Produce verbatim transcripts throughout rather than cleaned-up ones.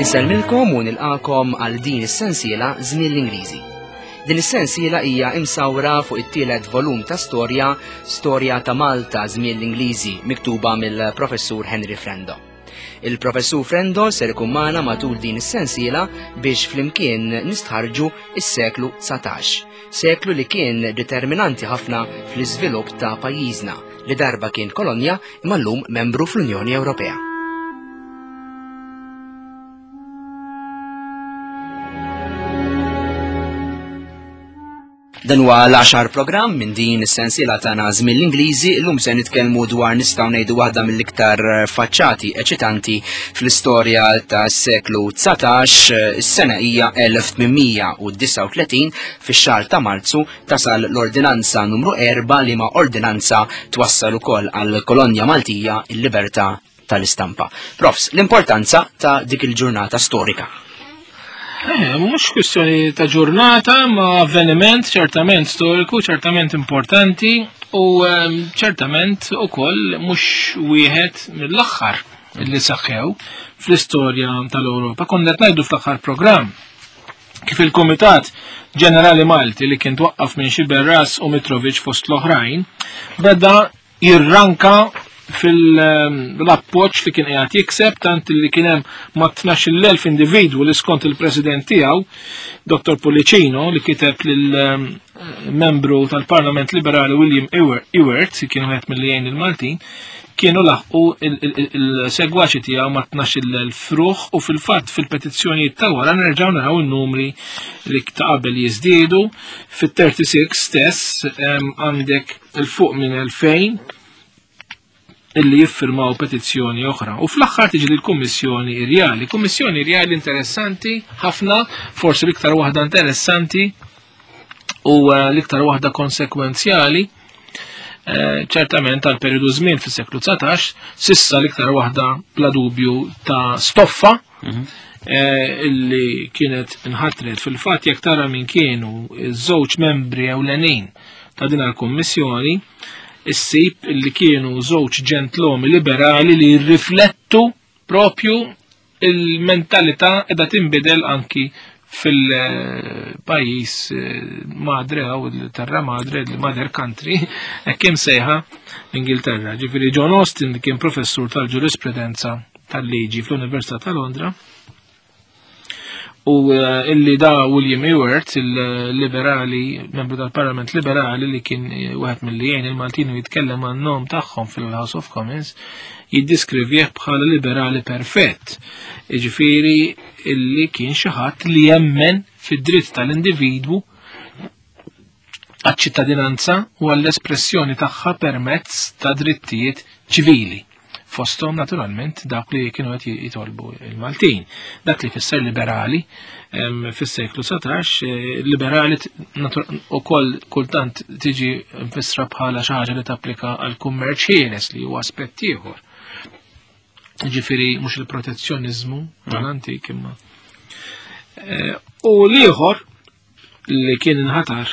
Insellmilkom u nilqakom għal din is-sensiela Żmien l-Ingliżi. Din is-sensiela hija imsawra fuq it-tielet volum ta' storja, Storja ta' Malta Żmien l-Ingliżi, miktuba mill-Professur Henry Frendo. Il-Professur Frendo ser ikun magħna matul din is-sensiela biex flimkien nistħarġu is-seklu dsatax, seklu li kien determinanti ħafna fl-iżvilupp ta' pajjiżna li darba kien kolonja imma llum membru fl-Unjoni Ewropea. Dan huwa l-għaxar programm minn din is-sensiela tagħna Żmien l-Ingliżi. Illum se nitkellmu dwar nistgħu ngħidu waħda mill-iktar faċċati eċitanti fl-istorja tas-seklu dsatax. Is-sena hija elf tmien u disgħa u tletin, fix-xahar ta' Marzu tasal l-ordinanza numru erba' li ma' ordinanza twassal ukoll għall-kolonja Maltija il-libertà tal-istampa. Profs, l-importanza ta' dik il-ġurnata storika. Eh, mhux kwistjoni ta' ġurnata, ma' avveniment ċertament storiku, ċertament importanti u, ehm, ċertament ukoll mhux wieħed mill-aħħar li saħħew fl-istorja tal-Ewropa. Konna qed ngħidu fl-aħħar programm kif il-Kumitat Ġenerali Malti li kien twaqqaf minn Sciberras u Mitrovic fost l-oħrajn beda jirranka fil-appoġġ li kien qiegħed jikseb, tant li kien hemm ma' tnax-il elf individwu li skont il-president tiegħu, Dottor Pullicino, li kiteb lil-membru tal-Parlament Liberali William Ewart, li kien wieħed mill-li jgħin il-Maltin, kienu laħqu il-segwaċi tiegħu ma' tnax-il elf ruħ, u fil-fatt fil-petizzjonijiet ta' wara nerġgħu naraw in-numri li ta' qabel jiżdiedu. Fit-thirty-six stess, em, għandek il-fuq minn elfejn illi jiffirmaw petizzjoni oħra. U fl-aħħar tiġi l-Kummissjoni Rjali. Kummissjoni Rjali interessanti ħafna, forsi l-iktar waħda interessanti u, eh, l-iktar waħda konsekwenzjali, eh, ċertament tal periodu żmien fis-seklu dsatax, sissa l-iktar waħda bla dubju ta' stoffa, Mhm. eh, illi kienet inħatret. Fil-fatt jekk tara min kienu iż-żewġ membri ewlenin ta' din il-Kummissjoni, issib illi kienu żewġ ġentlomi liberali li jirriflettu propju il-mentalità qiegħda tinbidel anki fil-pajjiż, eh, madre jew il-terra madre, il-mother country, hekk kemm sejħa l-Ingilterra. Ġifieri John Austin li kien professur tal-ġurisprudenza tal-liġi fl-Università ta' Londra, u, eh, illi da William Ewart, il-liberali, membru tal-Parlament Liberali li kien wieħed mill-li jgħin il-Maltin u jitkellem għan-nom tagħhom fil-House of Commons, jiddiskrivih bħala liberali perfett. Jiġifieri illi kien xi ħadd li jemmen fid-dritt tal-individwu għaċ-ċittadinanza u għall-espressjoni tagħha permezz ta' drittijiet ċivili. Fosthom naturalment dak li kienu qed jitolbu il-Maltin. Dak li fisser liberali, em, fis-seklu satax, eh, liberali t-, natur-, ukoll kultant tiġi mfissra bħala xi ħaġa li tapplika għal kummerċ ħieles li huwa aspett ieħor. Ġifieri mhux il-protezzjoniżmu Mm. tal-antik imma. Eh, u l-ieħor li kien inħatar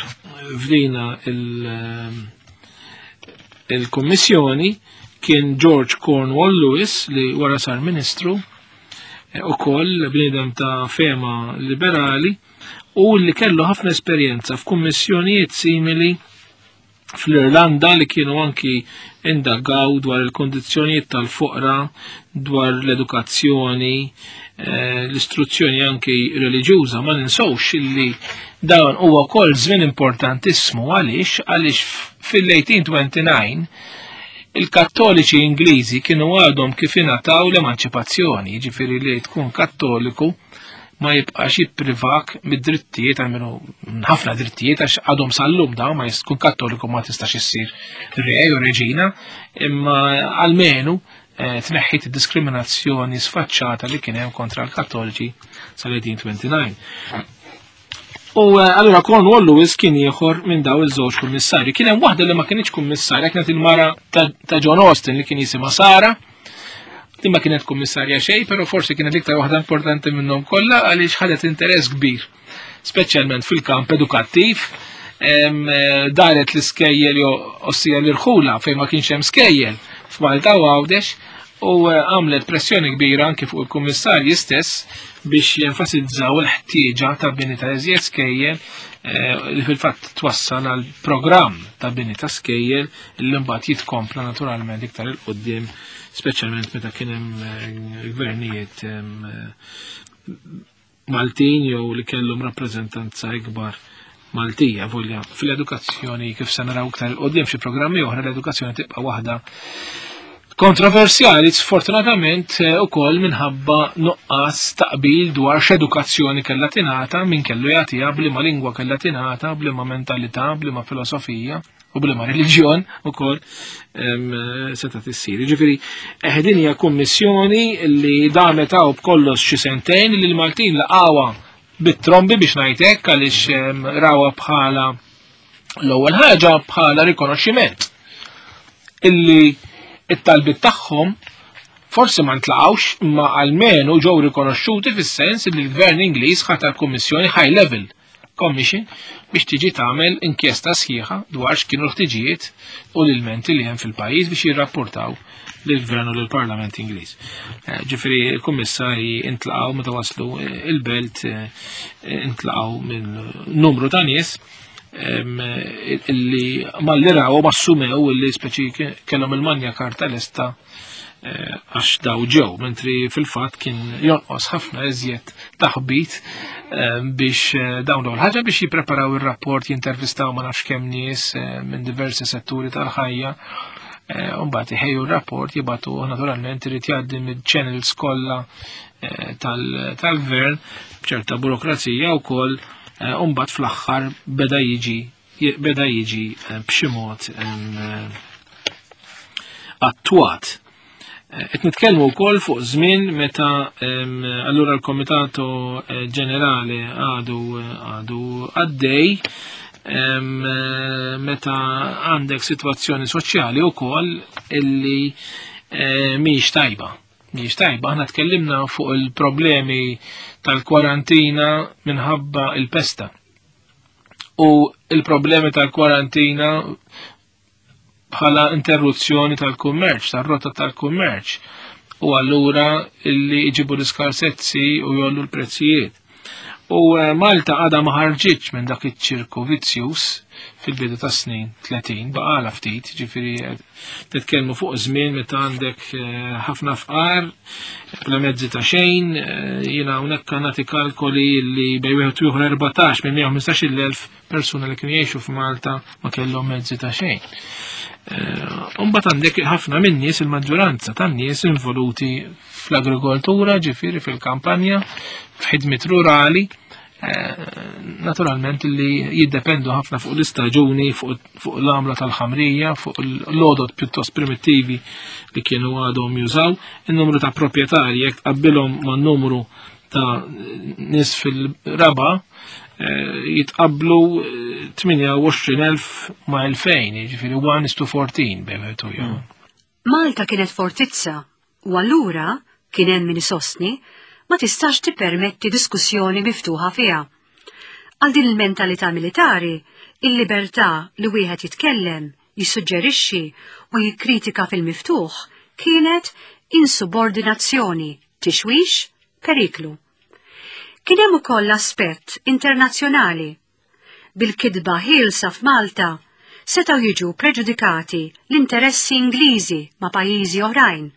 f'dina il-, il-Kummissjoni kien George Cornwall Lewis li wara sar ministru, eh, ukoll bniedem ta' fema liberali u li kellu ħafna esperjenza f'kummissjonijiet simili fl-Irlanda li kienu anki indagaw dwar il-kondizzjonijiet tal-foqra, dwar l-edukazzjoni, eh, l-istruzzjoni anki reliġjuża. Ma ninsewx illi dan huwa wkoll żmien importantissimu. Għaliex? Għaliex fil-eighteen twenty-nine il-kattoliċi Ingliżi kienu għadhom kif ingħataw l-emanċipazzjoni, jiġifieri li tkun kattoliku ma jibqax jipprivak mid-drittijiet, għalmenu ħafna drittijiet, għax għadhom sal-lum dawn ma tkun kattoliku ma tistax issir re u reġina, imma għalmenu, eh, tneħħit id-diskriminazzjoni sfaċċata li kien hemm kontra l-kattoliċi sal-eighteen twenty-nine. U, eh, allura Cornwall Lewis kien ieħor minn daw iż-żewġ kummissarji. Kien hemm waħda li ma kienx kummissarja, kienet il-mara ta', ta' John Austin li kien jisimha Sara. Din ma kienet kummissarja xejn, però forsi kienet l-iktar waħda importanti minnhom kollha għaliex ħadet interess kbir, speċjalment fil-kamp edukattiv. Em, eh, daret l-iskejjel jew ossija l-irħula fejn ma kienx hemm skejjel f'Malta u Għawdex, U għamlet pressjoni kbira anki fuq il-kummissarji stess biex jenfasizzaw il-ħtieġa ta' bini ta' iżjed skejjel li fil-fatt twassal għal programm ta' bini ta' skejjel li mbagħad jitkompla naturalment iktar il quddiem, speċjalment meta kien hemm gvernijiet Maltin jew li kellhom rappreżentanza ikbar Maltija. Volja fil-edukazzjoni, kif se naraw iktar il quddiem xi programmi oħra, l-edukazzjoni tibqa' waħda kontroversjali, sfortunatament ukoll minħabba nuqqas taqbil dwar x'edukazzjoni kellha tingħata, min kellu jagħtiha, b'liema lingwa kellha tingħata, b'liema mentalità, b'liema filosofija u b'liema reliġjon ukoll seta' tissir. Jiġifieri din hija kummissjoni li damet hawn b'kollox xi sentejn, li l-Maltin laqgħuha bit-trombi biex ngħid hekk, għaliex rawha bħala l-ewwel ħaġa bħala rikonoxximent illi it-talbiet tagħhom forsi ma ntlaqgħux, imma almenu ġew rikonoxxuti fis-sens li l-Gvern Ingliż ħatar kummissjoni high level commission biex tiġi tagħmel inkjesta sħiħa dwar x'kienu l-ħtiġijiet u l-ilmenti li hemm fil-pajjiż biex jirrapportaw lill-Gvern u lill-Parlament Ingliż. Ġifieri l-kummissarji intlaqgħu meta waslu il-belt, intlaqgħu minn numru ta' nies illi malli raw ma assumew illi speċi kellhom il-manja karta lesta għax daw ġew, mentri fil-fatt kien jonqos ħafna iżjed taħbit biex dawn dawn ħaġa biex jippreparaw ir-rapport, jintervistaw ma nafx kemm nies minn diversi setturi tal-ħajja, u mbagħad iħejju r-rapport, jibgħatu, naturalment irid jgħaddi mill-channels kollha tal-gvern b'ċerta burokrazija wkoll, u mbagħad fl-aħħar beda jiġi beda jiġi b'xi mod attwat. Qed nitkellmu wkoll fuq żmien meta allura l-Komitato Ġenerali għadu għadu għaddej, meta għandek sitwazzjoni soċjali wkoll illi mhijiex tajba. Mhijiex tajba, aħna tkellimna fuq il-problemi tal-kwarantina minħabba il-pesta. U il-problemi tal-kwarantina bħala interruzzjoni tal-kummerċ, tal-rotta tal-kummerċ, u allura illi jġibu l-iskarsezzi u jollu l-prezzijiet. U Malta għadha ma ħarġitx minn dak iċ-ċirku vizzjuż fil-bidu ta' snin tletin, baqala ftit, ġifieri titkellmu fuq żmien meta għandek ħafna fqar, bla mezzi ta' xejn, jiena hawnhekk nagħti kalkoli li bejn wieħed u ieħor erbatax minn mija u ħmistax-il elf persuna li kienu jgħixu f'Malta ma kellhom mezzi ta' xejn. Imbagħad għandek ħafna minn nies, il-maġġoranza tan-nies involuti fl-agrikoltura, ġifieri fil-kampanja, f'ħidmiet rurali, naturalment li jiddependu ħafna fuq l-istaġuni, fuq l-għamla tal-ħamrija, fuq l-għodod pjuttost primittivi li kienu għadhom jużaw, il-numru ta' proprjetarji jekk tqabbilhom man-numru ta' nies fil-raba jitqablu tmienja u għoxrin elf ma' elfejn, jiġifieri one is to fourteen bejn wieħed u ieħor. Malta kienet fortizza u allura kien hemm min isostni ma tistax tippermetti diskussjoni miftuħa fiha. Għal din il-mentalità militari, il-libertà li wieħed jitkellem, jissuġġerixxi u jikkritika fil-miftuħ kienet insubordinazzjoni, tixwix, periklu. Kien hemm ukoll aspett internazzjonali. Bil-kidba ħielsa f'Malta setgħu jiġu preġudikati l-interessi Ingliżi ma' pajjiżi oħrajn.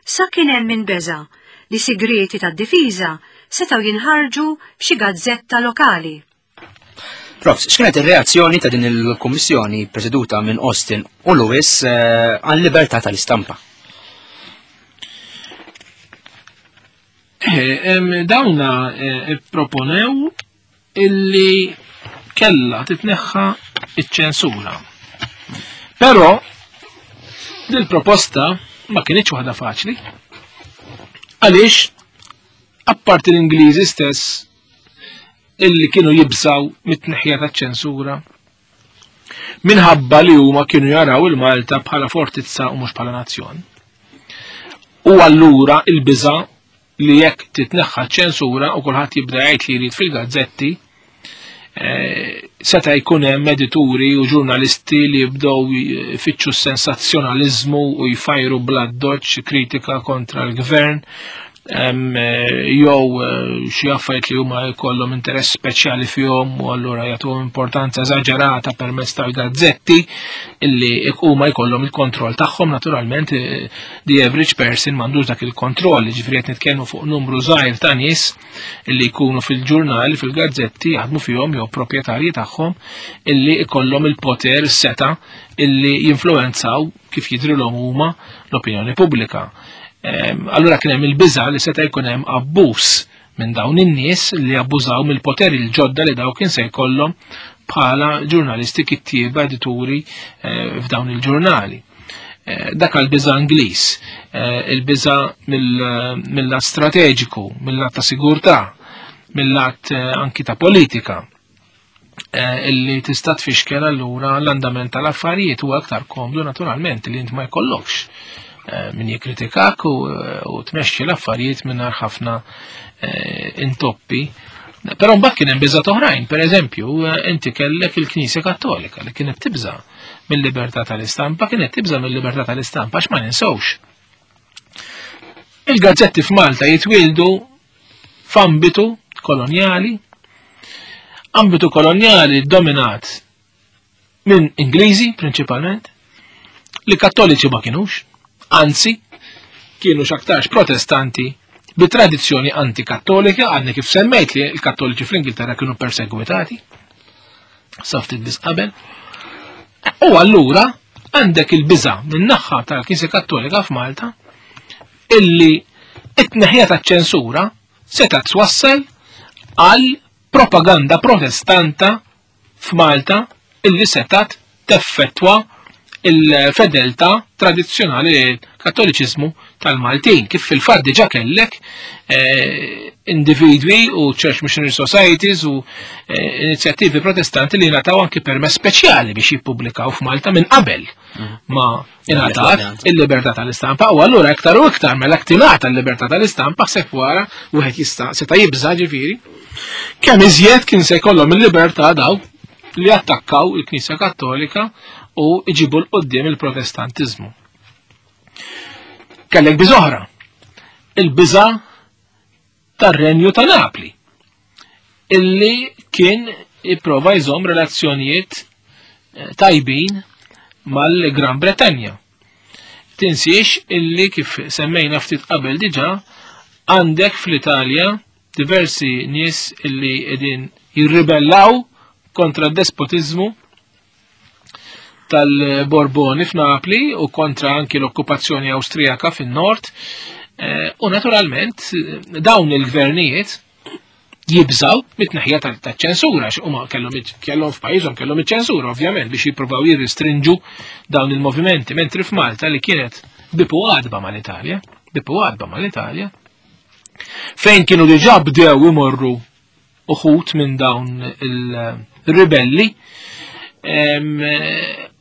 Sa kien hemm min beża' li sigreti tad-difiża setgħu jinħarġu f'xi gazzetta lokali. Prof, x'kienet ir-reazzjoni ta' din il-kummissjoni preseduta minn Austin u Lewis għal-libertà tal-istampa? Dawna proponew illi kella titneħħa iċ-ċensura. Però dil-proposta ma kienitx waħda faċli. Għaliex, apparti l-Ingliżi stess illi kienu jibżaw mit-tneħħija taċ-ċensura minħabba li huma kienu jaraw il-Malta bħala fortizza u mhux bħala nazzjon. U allura il-biża' li jekk titneħħa ċensura u kulħadd jibda jgħid li jrid fil-gazzetti, Seta' jkun hemm edituri u ġurnalisti li jibdew jfittxu s-sensazzjonaliżmu u jfajru bl-addoċċ kritika kontra l-gvern, jew xi affarijiet li huma jkollhom interess speċjali fihom u allura jagħtuhom importanza eżaġerata permezz tal-gazzetti illi huma jkollhom il-kontroll tagħhom. Naturalment the average person m'għandux dak il-kontroll, jiġifieri qed nitkellmu fuq numru żgħir ta' nies illi jkunu fil-ġurnali, fil-gazzetti jaħdmu fihom jew proprjetarji tagħhom illi jkollhom il-poter, is-seta' illi jinfluwenzaw kif jidrilhom huma l-opinjoni pubblika. Allura kien hemm il-biża' li seta' jkun hemm abbuż minn dawn in-nies li abbużaw mill-poteri l-ġodda li daw kien se jkollhom bħala ġurnalisti, kittieba, edituri f'dawn il-ġurnali. Dak għall-biża' Ingliż, il-biża' mill-lat strateġiku, mill-lat ta' sigurtà, mill-lat anki ta' politika, illi tista' tfixkel allura l-andament tal-affarijiet. Huwa aktar komdu naturalment li int ma jkollokx min jikkritikak u tmexxi l-affarijiet mingħajr ħafna intoppi. Però mbagħad kien hemm biżgħat oħrajn, pereżempju inti kellek il-Knisja Kattolika li kienet tibża' mill-libertà tal-istampa, kienet tibża' mill-libertà tal-istampa għax ma ninsewx. Il-gazzetti f'Malta jitwieldu f'ambitu kolonjali, ambitu kolonjali dominat minn Ingliżi prinċipalment, li kattoliċi ma kienux, anzi kienu x'aktarx protestanti bi tradizzjoni antikattolika. Għadni kif semmejt li l-kattoliċi fl-Ingilterra kienu persegwitati sa ftit biss qabel. U allura għandek il-biża' min-naħa tal-Knisja Kattolika f'Malta illi it-tneħħija taċ-ċensura seta' twassal għal propaganda protestanta f'Malta illi setat teffettwa il-fedeltà tradizzjonali l-kattoliċiżmu tal-Maltin, kif fil-fatt diġà kellek individwi u Church Missionary Societies u inizjattivi protestanti li ngħataw anki permess speċjali biex jippubblikaw f'Malta minn qabel ma ingħatat il-libertà tal-istampa. U allura iktar u iktar mela tingħata l-libertà tal-istampa, ħseb wara wieħed jista' seta' jibża' ġifieri kemm iżjed kien se jkollhom il-libertà daw li attakkaw il-Knisja Kattolika u iġibu l-qoddim il-protestantiżmu. Kellek biżoħra, il-biża' tar-Renju ta' Napli, illi kien jipprova jżomm relazzjonijiet tajbin mal-Gran Bretanja. Tinsiex illi kif semmejna ftit qabel diġà għandek fl-Italja diversi nies illi qegħdin jirribellaw kontra d-despotizmu tal-Borboni f'Napli u kontra anki l-okkupazzjoni Awstrijaka fin-nord. U naturalment dawn il-gvernijiet jibżaw mit-tneħħija taċ-ċensura, għax huma kellhom kellhom f'pajjiżhom kellhom iċ-ċensura ovvjament biex jippruvaw jirrestrinġu dawn il-movimenti, mentri f'Malta li kienet bipu għadba mal-Italja, bipu għadba mal-Italja, fejn kienu diġà bdew imorru uħut minn dawn il-ribelli,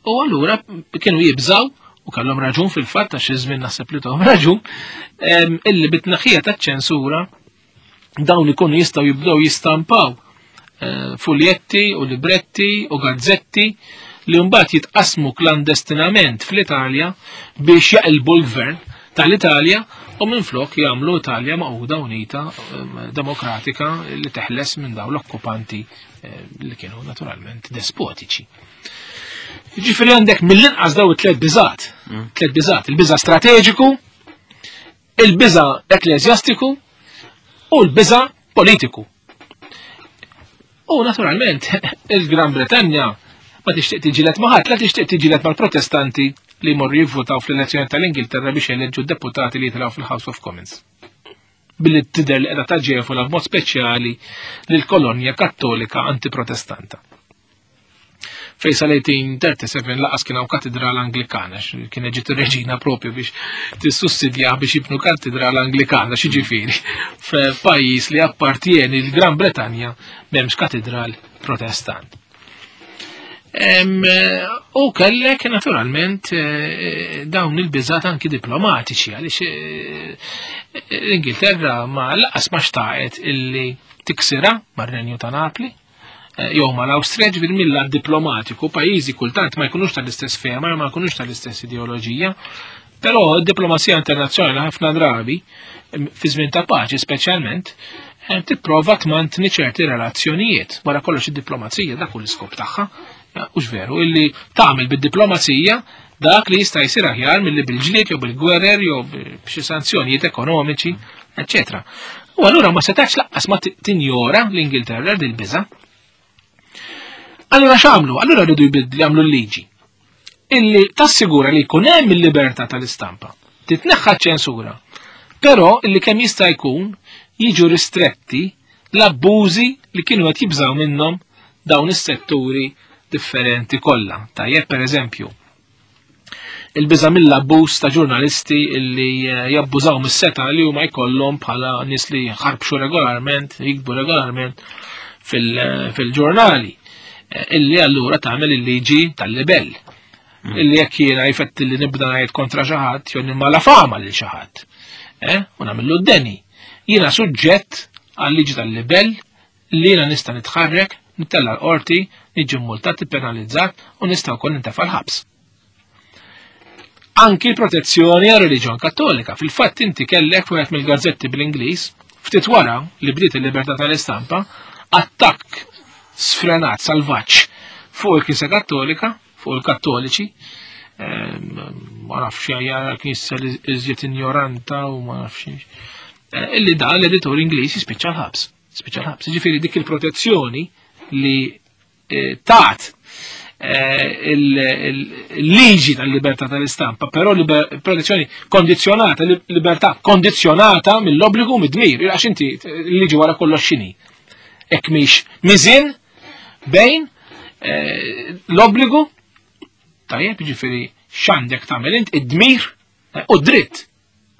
u allura kienu jibżaw, u kellhom raġun fil-fatt għax iż-żmien naħseb li tahom raġun, illi bit-tneħħija taċ-ċensura dawn ikunu jistgħu jibdew jistampaw fuljetti u libretti u gazzetti li mbagħad jitqasmu klandestinament fl-Italja biex jaqilbu l-gvern tal-Italja u minflok jagħmlu Italja maquda unita demokratika li teħles minn dawn l-okkupanti li kienu naturalment despotiċi. Ġifieri għandek mill-inqas daw it-tliet biżgħat, tliet biżgħat, il-biża' strateġiku, il-biża' ekkleżjastiku u l-biża' politiku. U naturalment il-Gran Bretanja ma tixtieq tiġilet ma' ħadd, la tixtieq tiġilet mal-Protestanti li jmorru jivvutaw fl-elezzjoni tal-Ingilterra biex jeleġġu deputati li jitilgħu fil-House of Commons. Billi tidher li qiegħda taġevola b'mod speċjali lill-kolonja kattolika antiprotestanta. Fejn sal-eighteen thirty-seven laqas kien hawn katedral Anglikana, kien ġiet ir-reġina propju biex tissussidja biex jibnu katedral Anglikana, xiġifieri f'pajjiż li appartieni l-Gran Bretanja m'hemmx katedral Protestant. U kellek naturalment dawn il-biżgħat anki diplomatiċi, għaliex l-Ingilterra ma laqas ma xtaqet illi tiksira mar-Renju ta' Napli, jew mal-Awstrija, ġifieri mill-lat diplomatiku, pajjiżi kultant ma jkunux tal-istess fehma, ma jkunux tal-istess ideoloġija, però d-diplomazija internazzjonali ħafna drabi, fi żmien ta' paċi speċjalment, tipprova tmantni ċerti relazzjonijiet. Wara kollox id-diplomazija dak hu l-iskop tagħha, hux veru, illi tagħmel bid-diplomazija dak li jista' jsir aħjar milli bil-ġlied jew bil-gwerer jew b'xi sanzjonijiet ekonomiċi, eċċetera. U allura ma setax laqqas ma tinjora l-Ingilterra dil-biża'. Allura x'għamlu? Allura rridu jbidlu jagħmlu l-liġi illi tassigura li jkun hemm il-libertà tal-istampa, titneħħa ċensura, però illi kemm jista' jkun jiġu ristretti l-abbużi li kienu qed jibżgħu minnhom dawn is-setturi differenti kollha. Tajjeb, pereżempju, il-biża' mill-abbuż ta' ġurnalisti illi jabbużaw mis-seta li huma jkollhom bħala nies li jħarbxu regolarment, jikbu regolarment fil-ġurnali, illi allura tagħmel il-liġi tal-libell. Illi jekk jiena jfetti li nibda ngħid kontra xi ħadd jew nimma la fama lil xi ħadd, u nagħmillu d-deni. Jiena suġġett għal-liġi tal-libell li jiena nista' nitħarrek, nittella l-qorti, niġi multat, penalizzat u nista' wkoll nintefa' l-ħabs. Anki l-protezzjoni għal reliġjon kattolika. Fil-fatt inti kellek wieħed mill-gazzetti bl-Ingliż, ftit wara li bdiet il-libertà tal-istampa, attakk sfrenat salvaġġ fuq il-Knisja Kattolika, fuq il-Kattoliċi, ma nafx hija l-Knisja li iżjed injoranta u ma nafx, illi da l-editur Ingliż jispiċċa l-ħabs. Spiċċa l-ħabs. Ġifieri dik il-protezzjoni li tat il-liġi tal-libertà tal-istampa, però protezzjoni kondizjonata, libertà kondizjonata mill-obbligu mid-dmir, għax inti l-liġi wara kollox x'inhi. Hekk mhix miżien bejn l-obbligu, tajjeb, ġifieri x'għandek tagħmel int, id-dmir u d-dritt.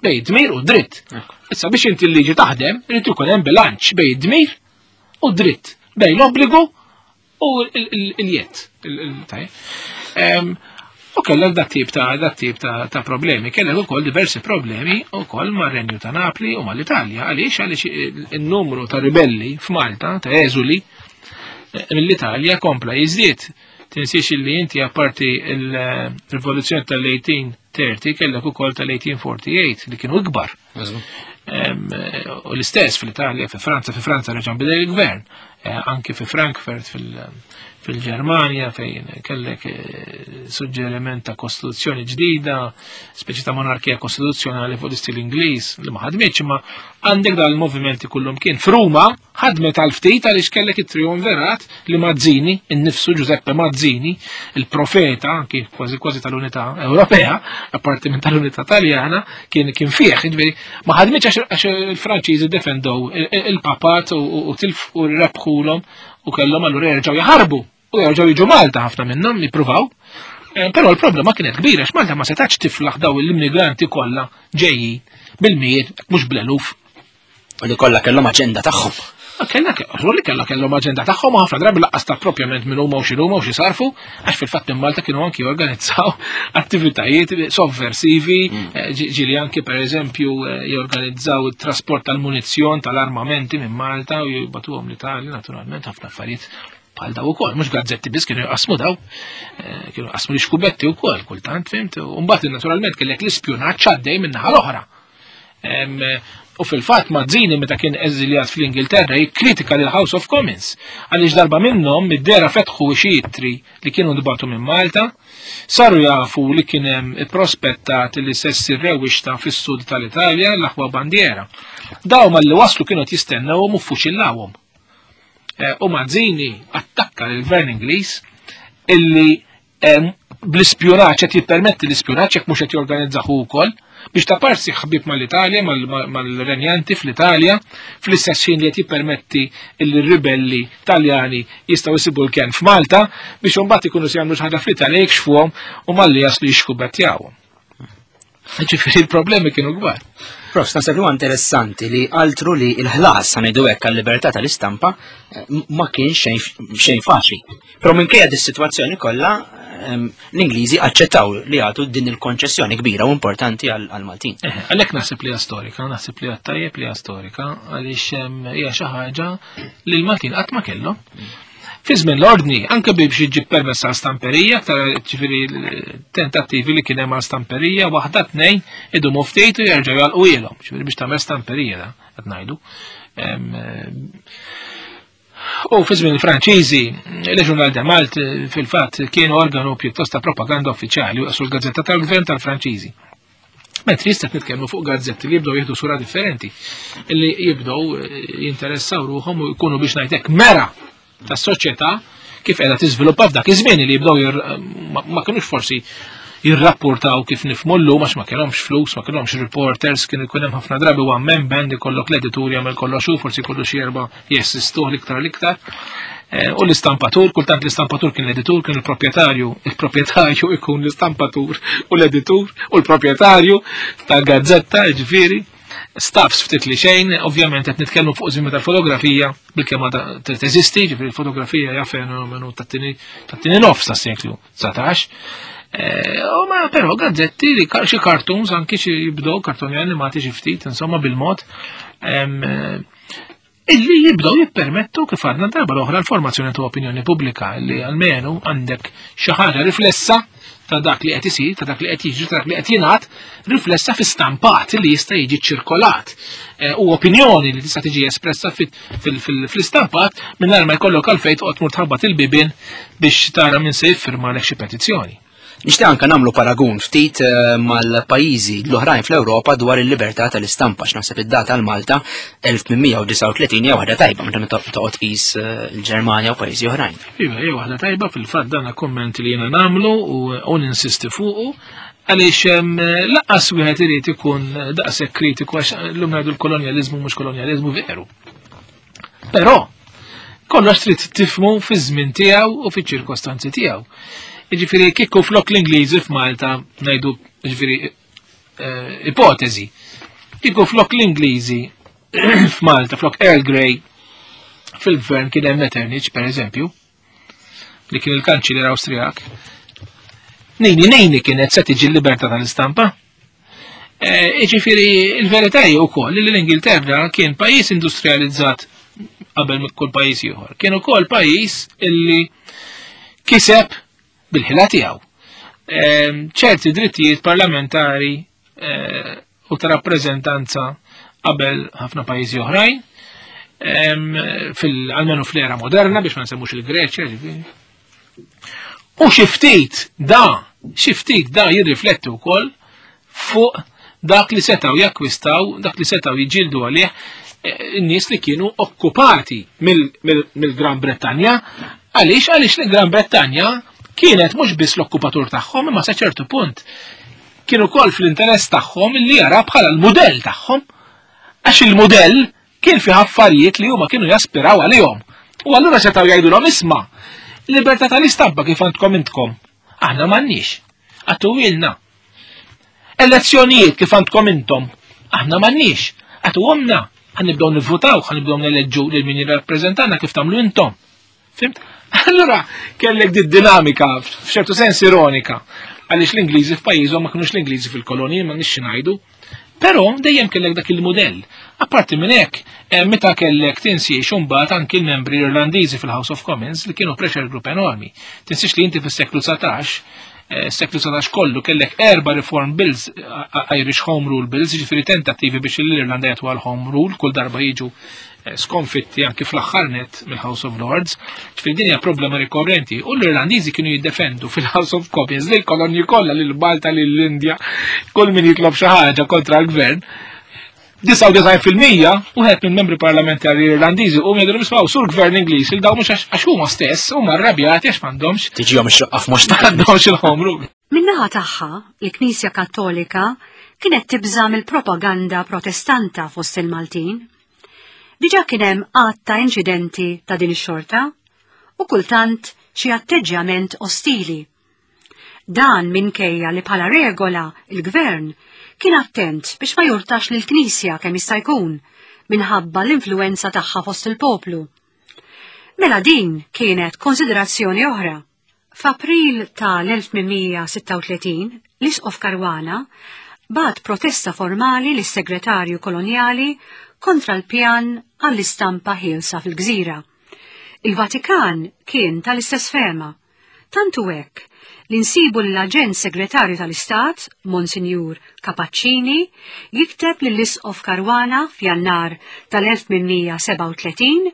Bej dmir u dritt. Issa biex inti l-liġi taħdem, irid ikun hemm bilanċ bej dmir u dritt, bej l-obbligu u l-jett. U kellek dat tip ta' dat tip ta' problemi, kellek ukoll diversi problemi ukoll mar-Renju ta' Napli u mal-Italja. Għaliex għaliex in-numru ta' ribelli f'Malta, ta' eżuli mill-Italja kompla jiżdied. Tinsiex illi inti apparti il-rivoluzzjoni tal-eighteen thirty kellek ukoll tal-eighteen forty-eight li kienu ikbar. U l-istess fl-Italja, fi Franza, fi Franza reġa' bidel il-gvern, anki fi Frankfurt fil-Ġermanja fejn kellek suġġeriment ta' kostituzzjoni ġdida, speċi ta' monarkija kostituzzjonali fuq l-istil Ingliż li ma ħadmitx, imma għandek dal movimenti kullum kien. F'Ruma ħadmet għal ftit għaliex kellek it-triumvirat li Mazzini, innifsu Giuseppe Mazzini, il-profeta anki kważi kważi tal-Unità Ewropea, apparti minn tal-Unità Taljana, kien kien fih, ġifieri ma ħadmitx għax il-Franċiżi defendow il-papat u tilf u rebħulhom u kellhom allura jerġgħu jaħarbu u jerġgħu jiġu Malta ħafna minnhom jippruvaw. Però l-problema kienet kbira għax Malta ma setax tiflaħ daw l-immigranti kollha ġejjin bil-mijiet mhux bl-eluf. U li kollha kellhom aġenda tagħhom. Kellha li kellha kellhom aġenda tagħhom ħafna drabi laqqas ta' propjament minn huma u x'inhuma u xi sarfu, għax fil-fatt minn Malta kienu anki jorganizzaw attivitajiet sovversivi, ġieli anki pereżempju jorganizzaw it-trasport tal-munizzjon tal-armamenti minn Malta u jibatuhom l-Italja, naturalment ħafna affarijiet bħal daw ukoll, mhux gazzetti biss kienu jqasmu daw, kienu jqasmu l-ixkubetti wkoll kultant, fimt, u mbagħad naturalment kellek l-ispjunaġġ għaddej min-naħa l-oħra. U fil-fatt Mazzini meta kien eżiljat fl-Ingilterra jikkritika lil House of Commons għaliex darba minnhom mid-dera fetħu xi ittri li kienu nbagħtu minn Malta, saru jafu li kien hemm ipprospettat li se ssir rewwixta fis-sud tal-Italja l-aħwa bandiera. Daw malli waslu kienu qed jistennewhom u ffuċillawhom. U Mazzini attakka lill-Gvern Ingliż illi bl-ispjunaġġ qed jippermetti l-ispjunaġġ jekk mhux qed jorganizzahu wkoll biex ta' parsi ħbib mal-Italja, mal-renjanti fl-Italja, fl-istess ħin li qed jippermetti l-ribelli Taljani jistgħu jsibu l-kenn f'Malta biex imbagħad ikunu se jagħmlu xi ħaġa fl-Italja jikxfuhom u malli jaslu jixkubettjawhom. Ġifieri il-problemi kienu kbar. Prof, naħseb li huwa interessanti li altru li l-ħlas ngħidu hekk għal-libertà tal-istampa ma kienx xejn faċli. Però minkejja dis-sitwazzjoni kollha l-Ingliżi aċċettaw li jagħtu din il-konċessjoni kbira u importanti għall-Maltin. Għalhekk naħseb li hija storika, naħseb li hija tajjeb li hija storika għaliex hija xi ħaġa li l-Maltin qatt ma kellhom. Fi żmien l-ordni, anke biex iġib permess għal stamperija, aktar ġifieri tentattivi li kien hemm għal stamperija, waħda tnejn idumu ftit u jerġgħu jagħlqu ilhom, ġifieri biex tagħmel stamperija da qed ngħidu. U fi żmien il-Franċiżi, Le Journal de Malte fil-fatt kien organu pjuttost ta' propaganda uffiċjali u l-gazzetta tal-gvern tal-Franċiżi. Mentri jista' nitkellmu fuq gazzetti li jibdew jieħdu sura differenti, li jibdew jinteressaw ruħhom u jkunu biex ngħidlek mera tas-soċjetà kif qiegħda tiżviluppa f'dak iż-żmien li jibdew ma kinux forsi jirrapportaw kif nifhmu llum għax ma kellhomx flus, ma kellhomx reporters, kienu jkun hemm ħafna drabi one man band ikollok l-editur jagħmel kollox hu, forsi jkollu xi erba' jessistuh l-iktar l-iktar. U l-istampatur, kultant l-istampatur kien l-editur, kien il-proprjetarju, il-proprjetarju ikun l-istampatur u l-editur u l-proprjetarju tal-gazzetta, ġifieri. Staffs ftit li xejn, ovvjament qed nitkellmu fuq żmien tal-fotografija bil-kemm teżisti, ġifieri l-fotografija hija fenomenu tat-tieni nofs tas-seklu dsatax. U ma però gazzetti li xi cartoons anki xi jibdew kartoni animati xi ftit, insomma bil-mod, illi jibdew jippermettu kif għadna darba l-oħra l-formazzjoni ta' opinjoni pubblika li almenu għandek xi ħaġa riflessa ta' dak li qed isir, ta' dak li qed jiġri, ta' dak li qed jingħad, riflessa fi stampat li jista' jiġi ċirkolat u opinjoni li tista' tiġi espressa fl-istampat mingħajr ma jkollok għalfejn toqgħod tmur tħabbat il-bibien biex tara min se jiffirmalek xi petizzjoni. Nixtieq anke nagħmlu paragun ftit mal-pajjiżi l-oħrajn fl-Ewropa dwar il-libertà tal-istampa, x'naħseb id-data għal Malta elf tmien mija u disgħa u tletin hija waħda tajba meta toqgħod tqis il-Ġermanja u pajjiżi oħrajn. Iva, hija waħda tajba fil-fatt dan kumment li jiena nagħmlu u ninsisti fuqu għaliex lanqas wieħed irid ikun daqshekk kritiku għax llum ngħidu l-kolonjaliżmu mhux kolonjaliżmu veru. Però kollox trid tifhmu fiż-żmien tiegħu u fiċ-ċirkostanzi tiegħu. Ġifieri kieku flok l-Ingliżi f'Malta, ngħidu ġifieri ipotezi, kieku flok l-Ingliżi f'Malta, flok Earl Grey fil-gvern kien hemm Metternich, per eżempju, li kien il-kanċiller Awstrijak, nejni nejni kienet se tiġi l-libertà tal-istampa. Ġifieri il-verità hi wkoll li l-Ingilterra kien pajjiż industrializzat qabel kull pajjiż ieħor. Kien ukoll pajjiż illi kiseb bil-ħila tiegħu ċerti drittijiet parlamentari u ta' rappreżentanza qabel ħafna pajjiżi oħrajn, fil-almenu fl-era moderna biex ma nsemmux il-Greċja, ġifieri. U xi ftit da, xi ftit da jirrifletti wkoll fuq dak li setgħu jakkwistaw, dak li setgħu jiġġieldu għalih in-nies li kienu okkupati mill-Gran Bretanja. Għaliex? Għaliex l-Gran Bretanja kienet mhux biss l-okkupatur tagħhom, imma sa ċertu punt kienu wkoll fl-interess tagħhom li jara bħala l-mudell tagħhom, għax il-mudell kien fih affarijiet li huma kienu jaspiraw għalihom. U allura setgħu jgħidulhom isma' libertà tal-istampa kif għandkom intkom, aħna m'għandniex, għatuwilna. Elezzjonijiet kif għandkom intom, aħna m'għandniex, għatuhomna, ħanibdew nivvutaw, ħanibdew neleġġu lil min jirrappreżentana kif tagħmlu intom. Fimt? Allura kellek di dinamika f'ċertu sens ironika, għaliex l-Ingliżi f'pajjiżhom ma kinux l-Ingliżi fil-kolonji, ma nix ngħidu, però dejjem kellek dak il-mudell. Apparti minn hekk, meta kellek tinsiex imbagħad anki l-membri Irlandiżi fil-House of Commons li kienu pressure group enormi. Tinsiex li inti fis-seklu dsatax, seklu dsatax kollu kellek erba' reform bills, Irish Home Rule bills, ġifieri tentattivi biex l-Irlanda jagħtu għal Home Rule, kull darba jiġu skonfitti anki fl-aħħar net mill-House of Lords. Ġifieri din hija problema rikorrenti u l-Irlandiżi kienu jiddefendu fil-House of Commons lil kolonji kollha, lil Malta, lil Indja, kull min jitlob xi ħaġa kontra l-gvern. disgħa u disgħin fil-mija wieħed minn membri parlamentari Irlandiżi u jgħidu nismgħu sur gvern Ingliż il daw mhux għax huma stess huma rrabjati għax m'għandhomx tiġihom ix-xoqqa f'mhux m'għandhomx il-home rule. Min-naħa tagħha, il-Knisja Kattolika kienet tibża' mill-propaganda protestanta fost il-Maltin. Diġà kien hemm għadd ta' inċidenti ta' din ix-xorta u kultant xi atteġġjament ostili. Dan minkejja li bħala regola il-gvern kien attent biex ma jurtax lill-Knisja kemm jista' jkun minħabba l-influenza tagħha fost il-poplu. Mela din kienet konsiderazzjoni oħra. F'April tal-elf tmien mija sitta u tletin, l-Isqof Caruana bagħat protesta formali lis-segretarju kolonjali kontra l-pjan għall-istampa ħielsa fil-gżira. Il-Vatikan kien tal-istess fehma. Tant hu hekk li nsibu l-aġent segretarju tal-Istat, Monsinjur Capaccini, jikteb lill-Isqof Caruana f'Jannar tal-elf tmien mija sebgħa u tletin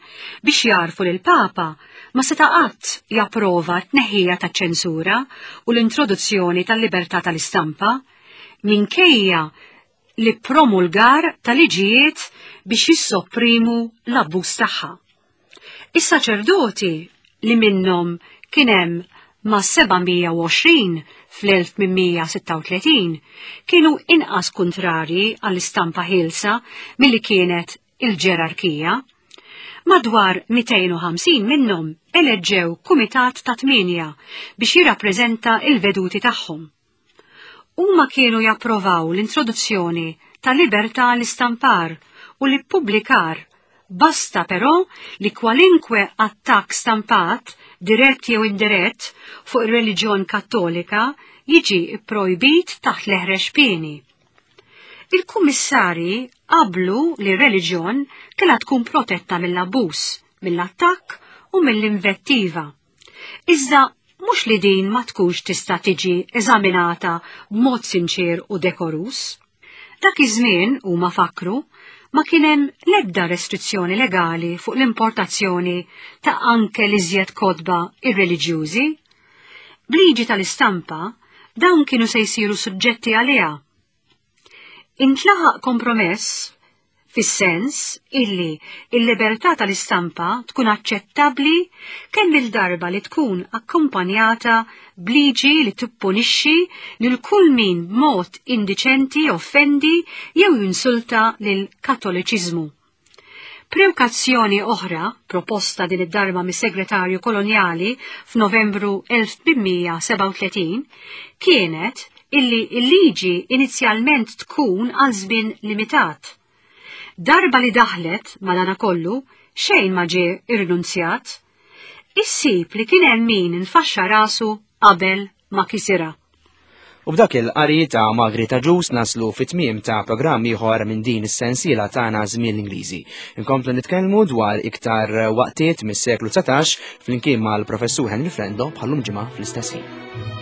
biex jgħarrfu li l-Papa ma seta' qatt japprova t-tneħħija taċ-ċensura u l-introduzzjoni tal-libertà tal-istampa minkejja l-ippromulgar tal-liġijiet biex jissopprimu l-abbuż tagħha. Is-saċerdoti, li minnhom kien hemm ma' seba' mija u għoxrin fl-elf tmien mija sitta u tletin, kienu inqas kontrarji għall-istampa ħielsa milli kienet il-ġerarkija. Madwar mitejn u ħamsin minnhom eleġġew kumitat ta' tmienja biex jirrappreżenta il-veduti tagħhom. Huma kienu japprovaw l-introduzzjoni ta' libertà l-istampar u l-ippubblikar, basta però li kwalinkwe attakk stampat, dirett jew indirett, fuq ir-reliġjon Kattolika jiġi projbit taħt l-eħrex pieni. Il-kummissarji qablu li r-reliġjon kellha tkun protetta mill-abbuż, mill-attakk u mill-invettiva. Iżda mhux li din ma tkunx tista' tiġi eżaminata b'mod sinċir u dekorus. Dak iż-żmien, huma fakru, ma kien hemm l-ebda restrizzjoni legali fuq l-importazzjoni ta' anke l-iżjed kotba irreliġjużi. B'liġi tal-istampa, dawn kienu se jsiru suġġetti għaliha. Intlaħaq kompromess fis-sens illi il-libertà tal-istampa tkun aċċettabbli kemm il-darba li tkun akkumpanjata b'liġi li tippunixxi lil kull min b'mod indiċenti offendi jew jinsulta lil Kattoliċiżmu. Prewkazzjoni oħra, proposta din id-darba mis-segretarju kolonjali f'Novembru elf tmien mija sebgħa u tletin, kienet illi il-liġi inizjalment tkun għal żmien limitat. Darba li daħlet, madanakollu, xejn ma ġie irrinunzjat. Issib li kien hemm min infaxxa rasu qabel ma kisirha. U b'dak il-qari ta' Margaret Agius naslu fit-tmiem ta' programm ieħor minn din is-sensiela tagħna Żmien l-Ingliżi. Inkomplu nitkellmu dwar iktar waqtiet mis-seklu dsatax flimkien mal-professur Henry Frendo bħal-lum ġimgħa fl-istess ħin.